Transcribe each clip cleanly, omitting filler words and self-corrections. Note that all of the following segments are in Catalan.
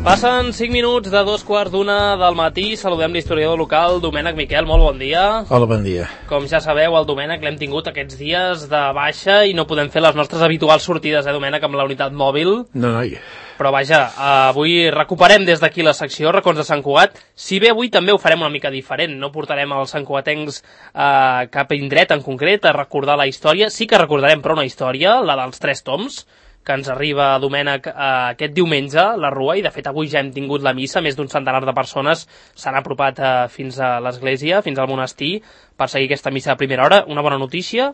Passen 5 minuts de 2:15 del matí. Saludem l'historiador local, Domènec Miquel. Molt bon dia. Hola, bon dia. Com ja sabeu, el Domènec l'hem tingut aquests dies de baixa i no podem fer les nostres habituals sortides, Domènec, amb la unitat mòbil. No, noi. Però vaja, avui recuperem des d'aquí la secció Racons de Sant Cugat. Si bé avui també ho farem una mica diferent, no portarem els santcugatencs cap indret en concret a recordar la història. Sí que recordarem, però, una història, la dels 3 toms, que ens arriba, Domènec, aquest diumenge, la Rua, i de fet avui ja hem tingut la missa, més d'un centenar de persones s'han apropat fins a l'església, fins al monestir, per seguir aquesta missa a primera hora. Una bona notícia?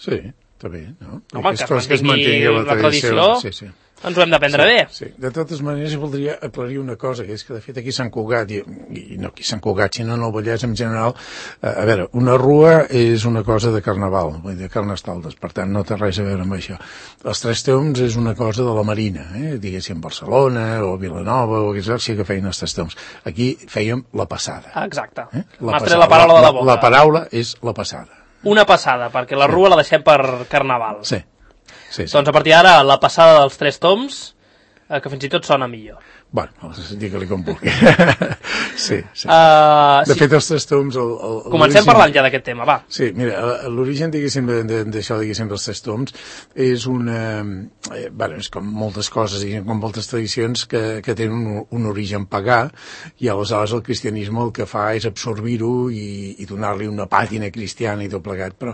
Sí, està bé, no? Home, que es mantingui la tradició, sí. Ens ho hem de prendre bé. Sí. De totes maneres, voldria aclarir una cosa, que és que, de fet, aquí a Sant Cugat, i no aquí a Sant Cugat, sinó en el Vallès en general, a veure, una rua és una cosa de carnaval, vull dir, de carnestoltes, per tant, no té res a veure amb això. Els 3 toms és una cosa de la Marina, diguéssim, Barcelona o Vilanova, o què sí que feien els 3 toms. Aquí fèiem la passada. Exacte. M'has tret la paraula de la boca. La paraula és la passada. Una passada, perquè la rua la deixem per carnaval. Sí. Doncs a partir d'ara, la passada dels 3 toms, que fins i tot sona millor. Bueno, digue-li com vulgui. Sí. De fet, els 3 toms... Comencem parlant ja d'aquest tema, va. Sí, mira, l'origen, diguéssim, d'això, diguéssim, dels 3 toms, és una... Bueno, és com moltes coses, diguéssim, com moltes tradicions que tenen un origen pagà, i aleshores el cristianisme el que fa és absorbir-ho i donar-li una pàtina cristiana i tot plegat. Però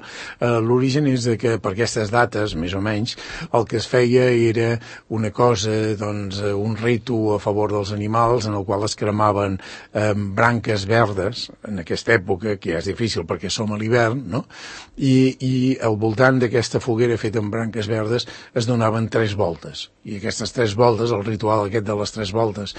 l'origen és que per aquestes dates, més o menys, el que es feia era una cosa, doncs, un ritu a favor dels animals, en el qual es cremaven branques verdes, en aquesta època, que ja és difícil perquè som a l'hivern, no? I al voltant d'aquesta foguera feta amb branques verdes es donaven 3 voltes. I aquestes 3 voltes, el ritual aquest de les 3 voltes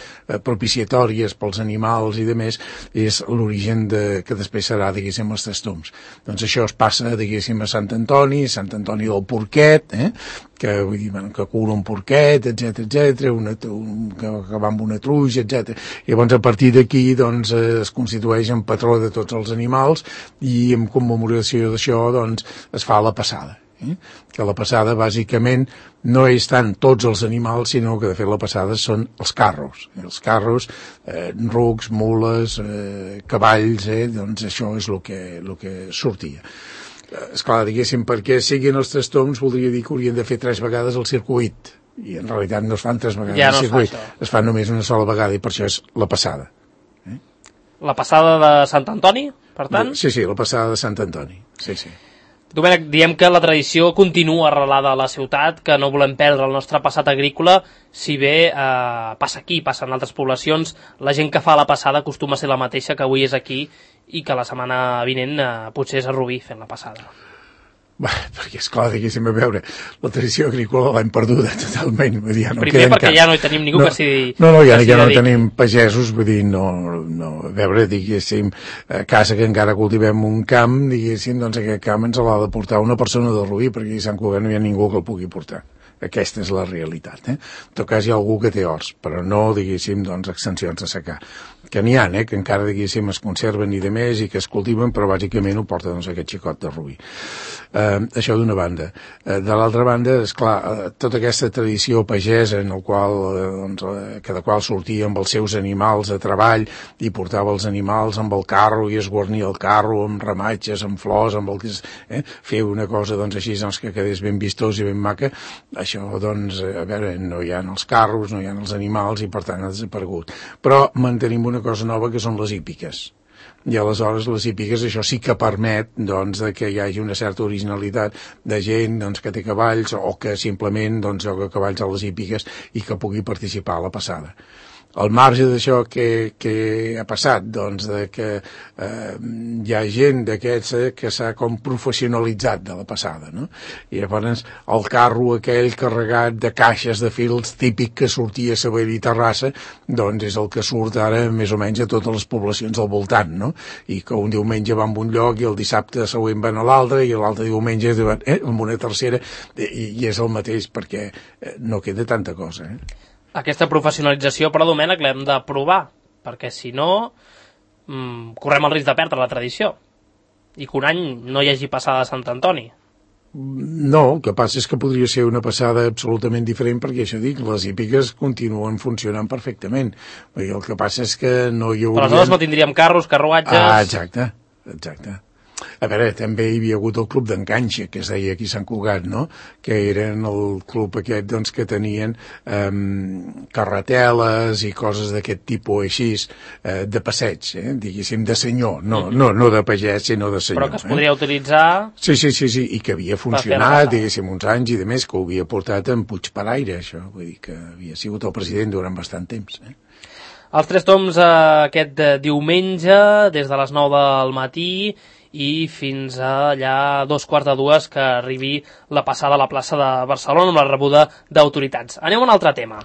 propiciatòries pels animals i de més, és l'origen que després serà, diguéssim, els 3 toms. Doncs això es passa, diguéssim, a Sant Antoni del Porquet, que vull dir, que cura un porquet, etc, que va amb una truja, etc. I llavors a partir d'aquí doncs es constitueix en patró de tots els animals i en commemoració d'això doncs es fa la passada. Que la passada bàsicament no és tant tots els animals, sinó que de fet la passada són els carros. Els carros, rucs, mules, cavalls, doncs això és el que sortia. Esclar, diguéssim, perquè siguin els 3 toms voldria dir que haurien de fer 3 vegades el circuit, i en realitat no es fan 3 vegades el circuit, es fan només una sola vegada, i per això és la passada. La passada de Sant Antoni, per tant? Sí, la passada de Sant Antoni, sí. Domènec, diem que la tradició continua arrelada a la ciutat, que no volem perdre el nostre passat agrícola, si bé passa aquí, passa en altres poblacions, la gent que fa la passada acostuma a ser la mateixa que avui és aquí i que la setmana vinent potser és a Rubí fent la passada. Bé, perquè esclar, diguéssim, a veure, la tradició agrícola l'hem perduda totalment. Vull dir, primer perquè ja no hi tenim ningú que s'hi dediqui. No, ja no tenim pagesos, vull dir, no, a veure, diguéssim, a casa que encara cultivem un camp, diguéssim, doncs aquest camp ens l'ha de portar una persona de Rubí, perquè a Sant Cugat no hi ha ningú que el pugui portar. Aquesta és la realitat. En tot cas hi ha algú que té horts, però no, diguéssim, doncs, extensions de secar. Que n'hi ha, que encara, diguéssim, es conserven i de més i que es cultiven, però bàsicament ho porta, doncs, aquest xicot de Rubí. Això d'una banda. De l'altra banda, esclar, tota aquesta tradició pagesa en el qual, doncs, cada qual sortia amb els seus animals a treball i portava els animals amb el carro i es guarnia el carro amb ramatges, amb flors, amb el que fer una cosa, doncs, així, doncs, que quedés ben vistós i ben maca. Això, doncs, a veure, no hi ha els carros, no hi ha els animals i per tant ha desaparegut. Però mantenim una cosa nova que són les hípiques. I aleshores les hípiques això sí que permet doncs, que hi hagi una certa originalitat de gent doncs, que té cavalls o que simplement doncs, joga cavalls a les hípiques i que pugui participar a la passada. Al marge d'això que ha passat, doncs, de que hi ha gent d'aquests que s'ha com professionalitzat de la passada, no? I llavors el carro aquell carregat de caixes de fils típic que sortia a Sabadell i Terrassa, doncs és el que surt ara més o menys a totes les poblacions al voltant, no? I que un diumenge va en un lloc i el dissabte següent van a l'altre i l'altre diumenge en una tercera i és el mateix perquè no queda tanta cosa, Aquesta professionalització, però, Domènec, l'hem de provar, perquè si no correm el risc de perdre la tradició i que un any no hi hagi passada a Sant Antoni. No, el que passa és que podria ser una passada absolutament diferent perquè, això dic, les hípiques continuen funcionant perfectament. Perquè el que passa és que no hi hauria... Però aleshores no tindríem carros, carruatges... Exacte. A veure, també hi havia hagut el club d'enganxa, que es deia aquí a Sant Cugat, no?, que eren el club aquest, doncs, que tenien carreteles i coses d'aquest tipus així, de passeig, diguéssim, de senyor, no de pagès, sinó de senyor. Però que es podria utilitzar... Sí, i que havia funcionat, diguéssim, uns anys i de més, que ho havia portat en Puigparaire, això, vull dir que havia sigut el president durant bastant temps, Els Tres Tombs aquest diumenge, des de les 9 del matí i fins a allà 2:15 que arribi la passada a la plaça de Barcelona amb la rebuda d'autoritats. Anem a un altre tema.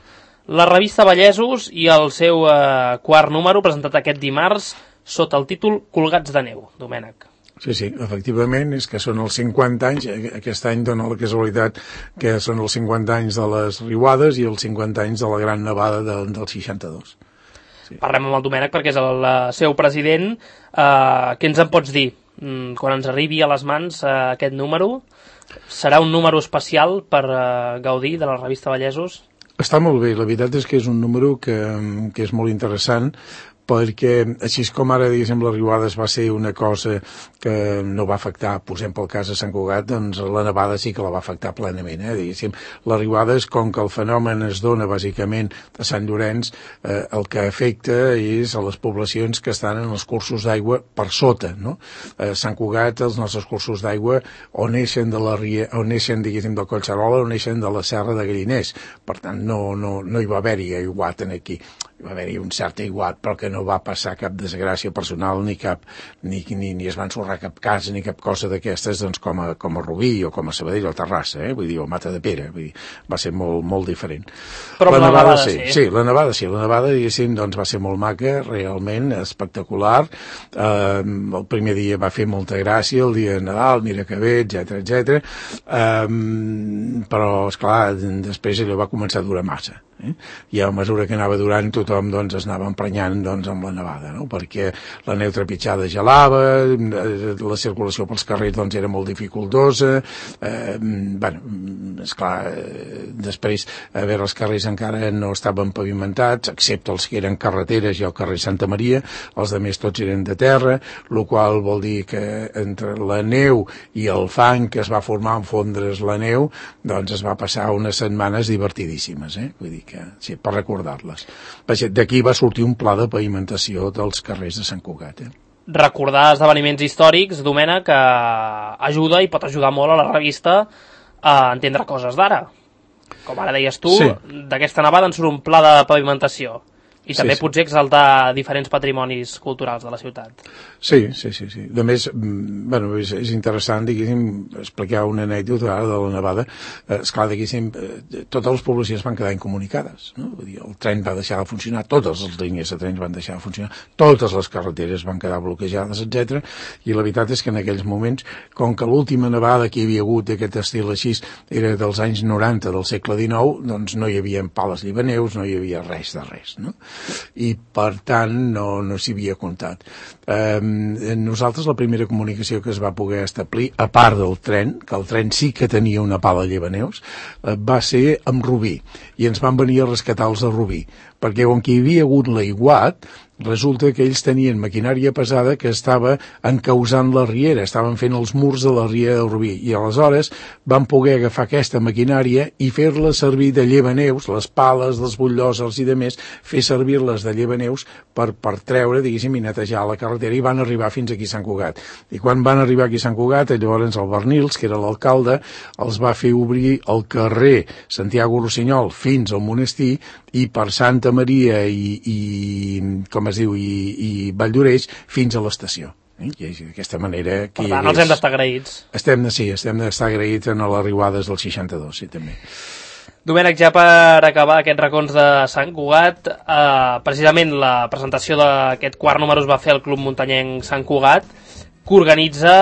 La revista Vallesos i el seu quart número, presentat aquest dimarts, sota el títol Colgats de neu, Domènec. Sí, efectivament, és que són els 50 anys, aquest any dona la casualitat que són els 50 anys de les riuades i els 50 anys de la gran nevada del 62. Sí. Parlem amb el Domènec perquè és el seu president. Què ens en pots dir? Quan ens arribi a les mans aquest número, serà un número especial per gaudir de la revista Vallesos? Està molt bé, la veritat és que és un número que és molt interessant, perquè així com ara, diguéssim, les riuades va ser una cosa que no va afectar, posem pel cas de Sant Cugat, doncs la nevada sí que la va afectar plenament, diguéssim. Les riuades, com que el fenomen es dona bàsicament a Sant Llorenç, el que afecta és a les poblacions que estan en els cursos d'aigua per sota, no? A Sant Cugat, els nostres cursos d'aigua o neixen de la ria, o neixen, diguéssim, del Collserola o neixen de la Serra de Galliners. Per tant, no hi va haver-hi aiguat aquí. Hi va haver-hi un cert aiguat, però que no va passar cap desgràcia personal ni es va ensorrar cap casa ni cap cosa d'aquestes, doncs, com a Rubí o com a Sabadell o Terrassa, vull dir, o Matadepera, vull dir, va ser molt, molt diferent. Però la nevada sí. Sí, la nevada, diguéssim, doncs va ser molt maca, realment espectacular. El primer dia va fer molta gràcia, el dia de Nadal, mira que bé, etc. Però, esclar, després allò va començar a durar massa. I a mesura que anava durant tothom doncs es anava emprenyant doncs amb la nevada, no? Perquè la neu trepitjada gelava, la circulació pels carrers doncs era molt dificultosa, esclar, després a veure, els carrers encara no estaven pavimentats, excepte els que eren carreteres i el carrer Santa Maria, els altres tots eren de terra, el qual vol dir que entre la neu i el fang que es va formar en fondre's la neu, doncs es va passar unes setmanes divertidíssimes, vull dir que sí, per recordar-les. D'aquí va sortir un pla de pavimentació dels carrers de Sant Cugat. Recordar esdeveniments històrics, Domènec, que ajuda i pot ajudar molt a la revista a entendre coses d'ara. Com ara deies tu, sí. D'aquesta nevada en surt un pla de pavimentació. I també potser exaltar diferents patrimonis culturals de la ciutat. Sí. A més, és interessant, diguéssim, explicar una anècdota de la nevada. Esclar, diguéssim, totes les poblacions van quedar incomunicades, no? Vull dir, el tren va deixar de funcionar, totes les línies de trens van deixar de funcionar, totes les carreteres van quedar bloquejades, etc. I la veritat és que en aquells moments, com que l'última nevada que hi havia hagut d'aquest estil així era dels anys 90 del segle XIX, doncs no hi havia pales llibaneus, no hi havia res de res, no? I per tant no s'hi havia comptat. Nosaltres la primera comunicació que es va poder establir, a part del tren, que el tren sí que tenia una pala llevaneus, va ser amb Rubí, i ens van venir a rescatar els de Rubí, perquè on hi havia hagut l'aiguat, resulta que ells tenien maquinària pesada que estava encausant la riera, estaven fent els murs de la riera del Rubí, i aleshores van poder agafar aquesta maquinària i fer-la servir de llevaneus, les pales, dels butllòsers i demés, fer servir-les de llevaneus per treure, diguéssim, i netejar la carretera, i van arribar fins aquí a Sant Cugat. I quan van arribar aquí a Sant Cugat, llavors el Bernils, que era l'alcalde, els va fer obrir el carrer Santiago Rossinyol fins al monestir, i per Santa Maria i Valldoreix fins a l'estació. I d'aquesta manera... Per tant, els hem d'estar agraïts. Estem d'estar agraïts en les riuades del 62, sí, també. Domènec, ja per acabar aquests racons de Sant Cugat, precisament la presentació d'aquest quart número es va fer al Club Muntanyenc Sant Cugat, que organitza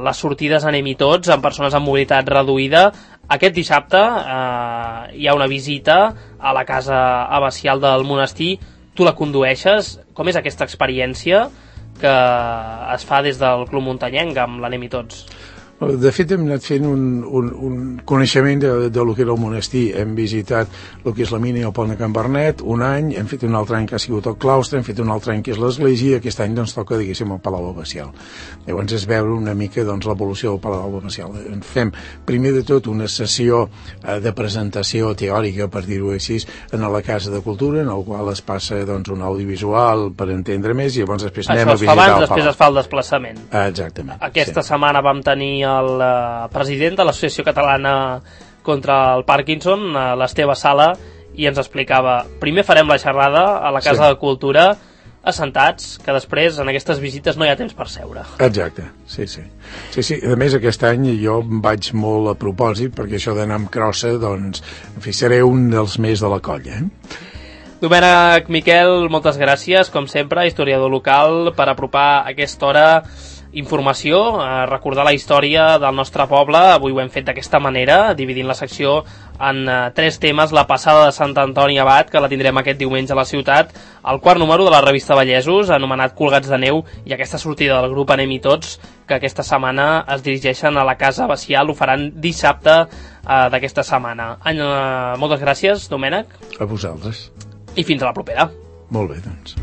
les sortides Anem-hi tots amb persones amb mobilitat reduïda. Aquest dissabte hi ha una visita a la casa abacial del monestir. Tu la condueixes. Com és aquesta experiència que es fa des del Club Muntanyenc amb l'Anem-hi tots? De fet, hem anat fent un coneixement de lo que era el monestir. Hem visitat el que és la mina i el pont de Can Bernet un any, hem fet un altre any que ha sigut el claustre, hem fet un altre any que és l'església, i aquest any doncs toca, diguéssim, el Palau Abacial. Llavors és veure una mica doncs, l'evolució del Palau Abacial. Fem, primer de tot, una sessió de presentació teòrica, per dir-ho així, en la Casa de Cultura, en el qual es passa doncs, un audiovisual per entendre més, i llavors després anem a visitar el Palau. Després es fa el desplaçament. Exactament. Aquesta setmana vam tenir el president de l'Associació Catalana contra el Parkinson, l'Esteve Sala, i ens explicava, primer farem la xerrada a la Casa de Cultura assentats, que després en aquestes visites no hi ha temps per seure. Exacte, sí. A més, aquest any jo vaig molt a propòsit, perquè això d'anar amb crossa, doncs, en fi, seré un dels més de la colla, Domènec, Miquel, moltes gràcies, com sempre, historiador local, per apropar a aquesta hora informació, recordar la història del nostre poble. Avui ho hem fet d'aquesta manera, dividint la secció en 3 temes: la passada de Sant Antoni Abat, que la tindrem aquest diumenge a la ciutat, el 4 número de la revista Vallesos, anomenat Colgats de Neu, i aquesta sortida del grup Anem-hi Tots, que aquesta setmana es dirigeixen a la Casa Abacial, ho faran dissabte d'aquesta setmana. Moltes gràcies, Domènec. A vosaltres. I fins a la propera. Molt bé, doncs.